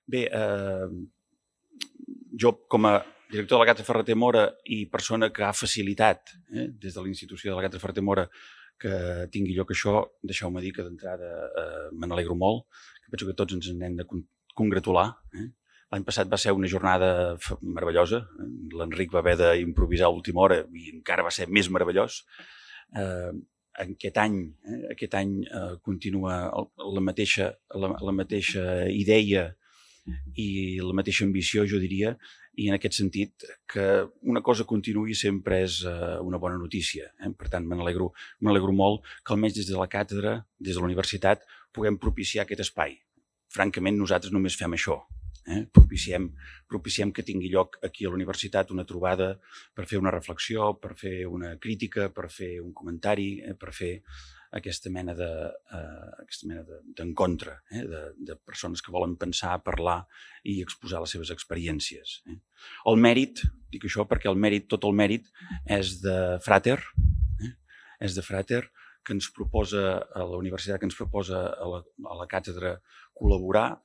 Bé, jo com a director de la Càtedra Ferrater Mora i persona que ha facilitat des de la institució de la Càtedra Ferrater Mora que tingui lloc això, deixeu-me dir que d'entrada me n'alegro molt, que penso que tots ens n'hem de congratular. L'any passat va ser una jornada meravellosa, l'Enric va haver d'improvisar a última hora i encara va ser més meravellós. Aquest any continua la mateixa idea i la mateixa ambició, jo diria, i en aquest sentit que una cosa continuï sempre és una bona notícia. Per tant, me n'alegro molt que almenys des de la càtedra, des de la universitat, puguem propiciar aquest espai. Francament, nosaltres només fem això. Propiciem que tingui lloc aquí a la universitat una trobada per fer una reflexió, per fer una crítica, per fer un comentari, per fer aquesta mena d'encontre de persones que volen pensar, parlar i exposar les seves experiències. El mèrit, dic això perquè tot el mèrit és de Frater, que ens proposa a la universitat, que ens proposa a la càtedra col·laborar.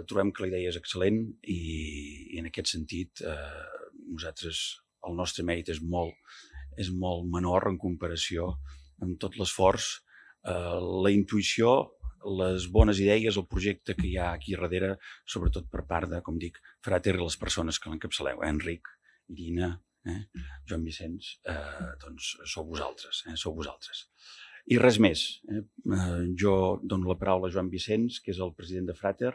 Trobem que la idea és excel·lent i en aquest sentit el nostre mèrit és molt menor en comparació amb tot l'esforç, la intuïció, les bones idees, el projecte que hi ha aquí darrere, sobretot per part de, com dic, Frater i les persones que l'encapçaleu, Enric, Irina, Joan Vicenç, doncs sou vosaltres. I res més. Jo dono la paraula a Joan Vicenç, que és el president de Frater,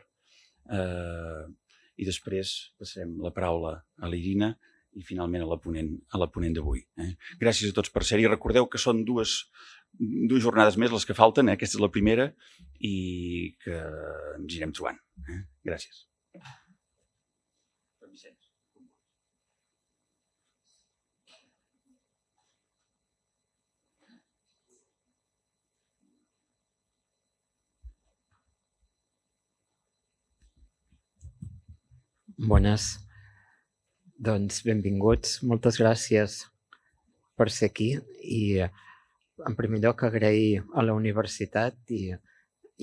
i després passarem la paraula a l'Irina i finalment a la ponent d'avui. Gràcies a tots per ser-hi. Recordeu que són dues jornades més les que falten, aquesta és la primera, i que ens irem trobant. Gràcies. Bones. Doncs benvinguts. Moltes gràcies per ser aquí i en primer lloc agrair a la universitat i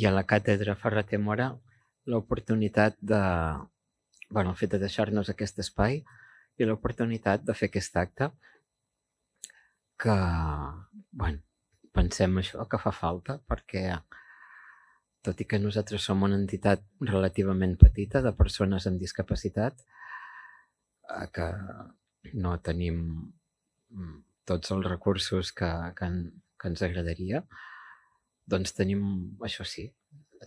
a la càtedra Ferrater Mora l'oportunitat el fet de deixar-nos aquest espai i l'oportunitat de fer aquest acte que, pensem això, que fa falta perquè tot i que nosaltres som una entitat relativament petita de persones amb discapacitat, que no tenim tots els recursos que ens agradaria, doncs tenim, això sí,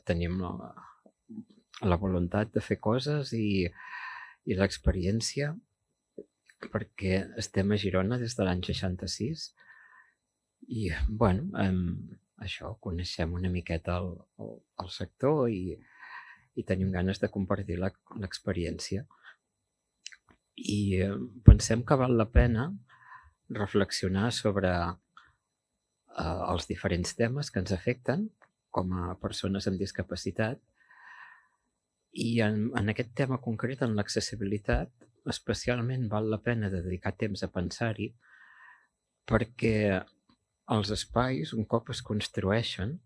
tenim la voluntat de fer coses i l'experiència, perquè estem a Girona des de l'any 66 i, això, coneixem una miqueta el sector i tenim ganes de compartir l'experiència. I pensem que val la pena reflexionar sobre els diferents temes que ens afecten com a persones amb discapacitat i en aquest tema concret, en l'accessibilitat, especialment val la pena dedicar temps a pensar-hi perquè els espais, un cop es construeixen,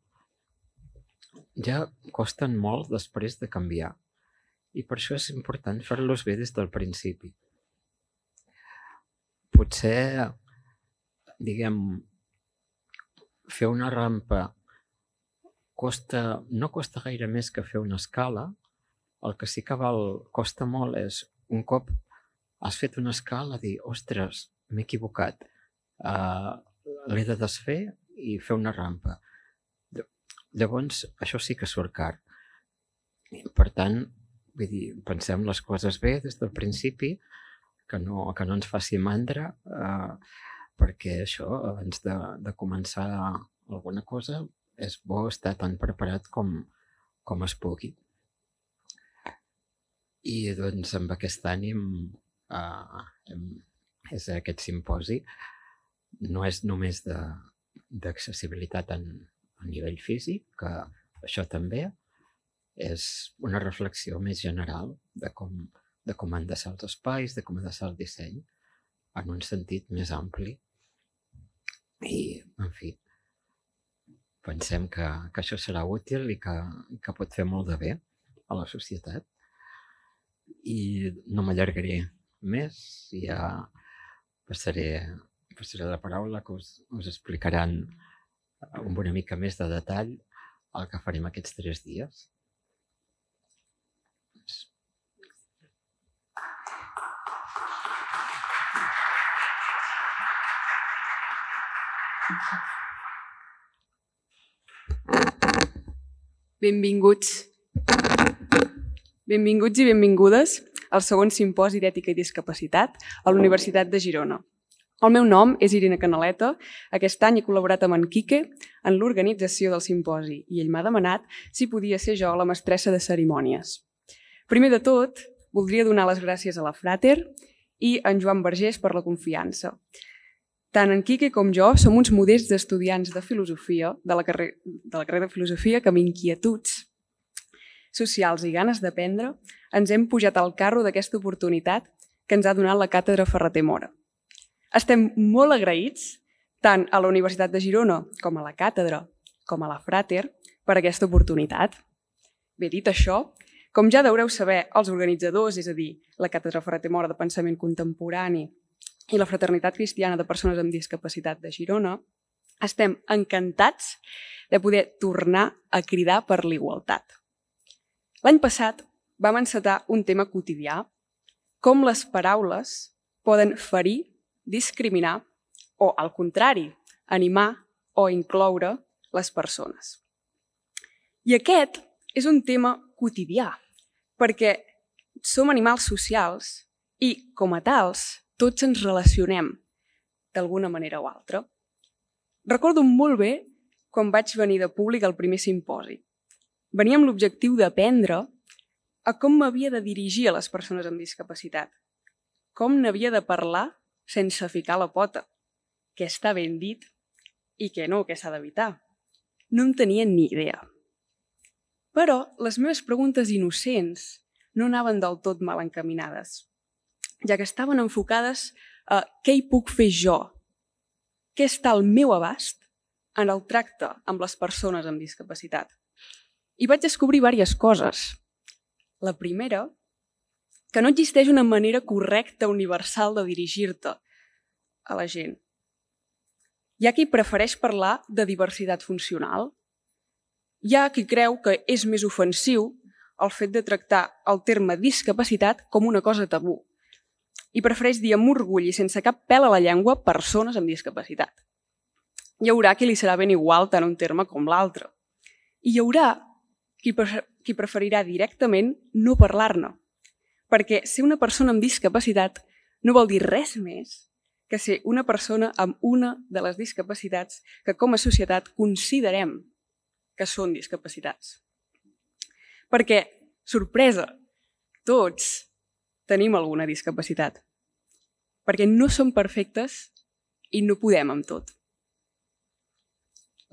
ja costen molt després de canviar i per això és important fer-los bé des del principi. Potser, fer una rampa no costa gaire més que fer una escala. El que sí que costa molt és, un cop has fet una escala, dir, ostres, m'he equivocat, l'he de desfer i fer una rampa. Llavors, això sí que surt car. Per tant, pensem les coses bé des del principi, que no ens faci mandra, perquè això, abans de començar alguna cosa, és bo estar tan preparat com es pugui. I doncs amb aquest ànim és aquest simposi. No és només d'accessibilitat a nivell físic, que això també és una reflexió més general de com han de ser els espais, de com ha de ser el disseny, en un sentit més ampli. I, en fi, pensem que això serà útil i que pot fer molt de bé a la societat. I no m'allargaré més, i ja passaré la paraula que us explicaran amb una mica més de detall el que farem aquests 3 dies. Benvinguts i benvingudes al segon simposi d'Ètica i Discapacitat a la Universitat de Girona. El meu nom és Irene Canaleta. Aquest any he col·laborat amb en Quique en l'organització del simposi i ell m'ha demanat si podia ser jo la mestressa de cerimònies. Primer de tot, voldria donar les gràcies a la Frater i a en Joan Vergés per la confiança. Tant en Quique com jo som uns modests estudiants de filosofia, de la carrera de filosofia, que amb inquietuds socials i ganes d'aprendre ens hem pujat al carro d'aquesta oportunitat que ens ha donat la càtedra Ferrater Mora. Estem molt agraïts tant a la Universitat de Girona com a la càtedra com a la Frater per aquesta oportunitat. Bé, dit això, com ja deureu saber els organitzadors, és a dir, la càtedra Ferrater Mora de Pensament Contemporani i la Fraternitat Cristiana de Persones amb Discapacitat de Girona, estem encantats de poder tornar a cridar per l'igualtat. L'any passat vam encetar un tema quotidià, com les paraules poden ferir, discriminar o, al contrari, animar o incloure les persones. I aquest és un tema quotidià, perquè som animals socials i, com a tals, tots ens relacionem d'alguna manera o altra. Recordo molt bé quan vaig venir de públic al primer simposi. Venia amb l'objectiu d'aprendre a com m'havia de dirigir a les persones amb discapacitat, com n'havia de parlar sense ficar la pota, què està ben dit i què no, què s'ha d'evitar. No en tenia ni idea. Però les meves preguntes innocents no anaven del tot mal encaminades, ja que estaven enfocades a què hi puc fer jo, què està al meu abast en el tracte amb les persones amb discapacitat. I vaig descobrir diverses coses. La primera, que no existeix una manera correcta, universal de dirigir-te a la gent. Hi ha qui prefereix parlar de diversitat funcional. Hi ha qui creu que és més ofensiu el fet de tractar el terme discapacitat com una cosa tabú i prefereix dir amb orgull i sense cap pèl a la llengua persones amb discapacitat. Hi haurà qui li serà ben igual tant un terme com l'altre. I hi haurà qui preferirà directament no parlar-ne, perquè ser una persona amb discapacitat no vol dir res més que ser una persona amb una de les discapacitats que com a societat considerem que són discapacitats. Perquè, sorpresa, tots tenim alguna discapacitat, perquè no som perfectes i no podem amb tot.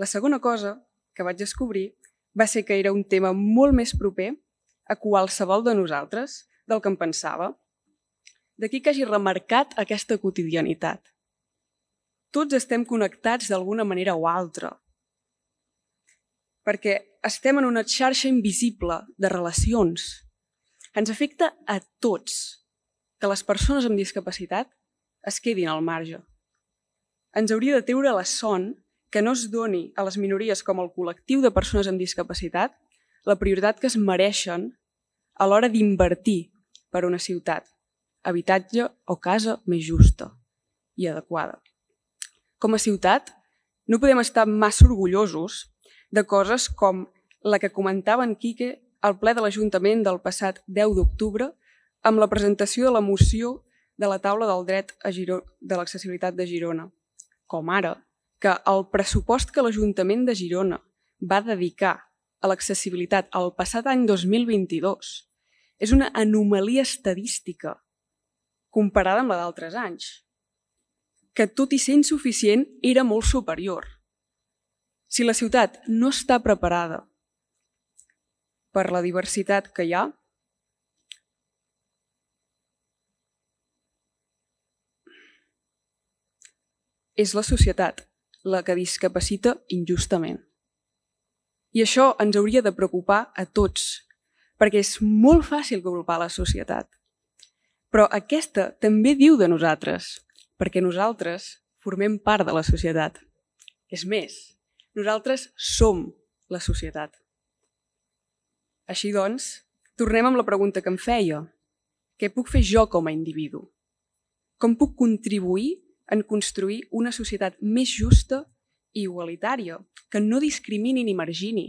La segona cosa que vaig descobrir va ser que era un tema molt més proper a qualsevol de nosaltres del que em pensava. D'aquí que hagi remarcat aquesta quotidianitat. Tots estem connectats d'alguna manera o altra, perquè estem en una xarxa invisible de relacions. Ens afecta a tots que les persones amb discapacitat es quedin al marge. Ens hauria de treure la son que no es doni a les minories com el col·lectiu de persones amb discapacitat la prioritat que es mereixen a l'hora d'invertir per una ciutat, habitatge o casa més justa i adequada. Com a ciutat, no podem estar massa orgullosos de coses com la que comentava en Quique al ple de l'Ajuntament del passat 10 d'octubre amb la presentació de la moció de la taula del dret de l'accessibilitat de Girona, com ara que el pressupost que l'Ajuntament de Girona va dedicar a l'accessibilitat el passat any 2022 és una anomalia estadística comparada amb la d'altres anys, que tot i ser insuficient era molt superior. Si la ciutat no està preparada per la diversitat que hi ha, és la societat la que discapacita injustament. I això ens hauria de preocupar a tots, perquè és molt fàcil culpar la societat. Però aquesta també diu de nosaltres, perquè nosaltres formem part de la societat. És més, nosaltres som la societat. Així doncs, tornem amb la pregunta que em feia. Què puc fer jo com a individu? Com puc contribuir en construir una societat més justa i igualitària, que no discrimini ni margini?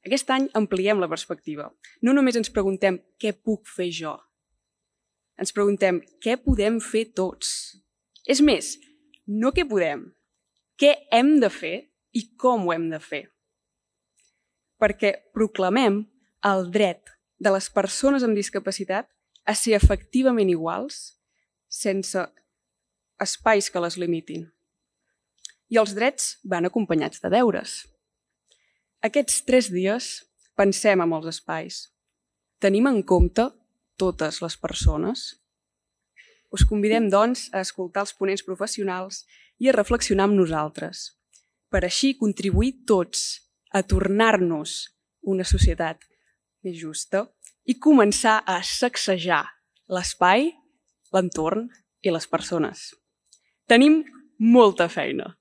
Aquest any ampliem la perspectiva. No només ens preguntem què puc fer jo. Ens preguntem què podem fer tots. És més, no què podem, què hem de fer i com ho hem de fer. Perquè proclamem el dret de les persones amb discapacitat a ser efectivament iguals sense espais que les limitin. I els drets van acompanyats de deures. Aquests 3 dies pensem en els espais. Tenim en compte totes les persones? Us convidem, doncs, a escoltar els ponents professionals i a reflexionar amb nosaltres, per així contribuir tots a tornar-nos una societat més justa i començar a sacsejar l'espai, l'entorn i les persones. Tenim molta feina.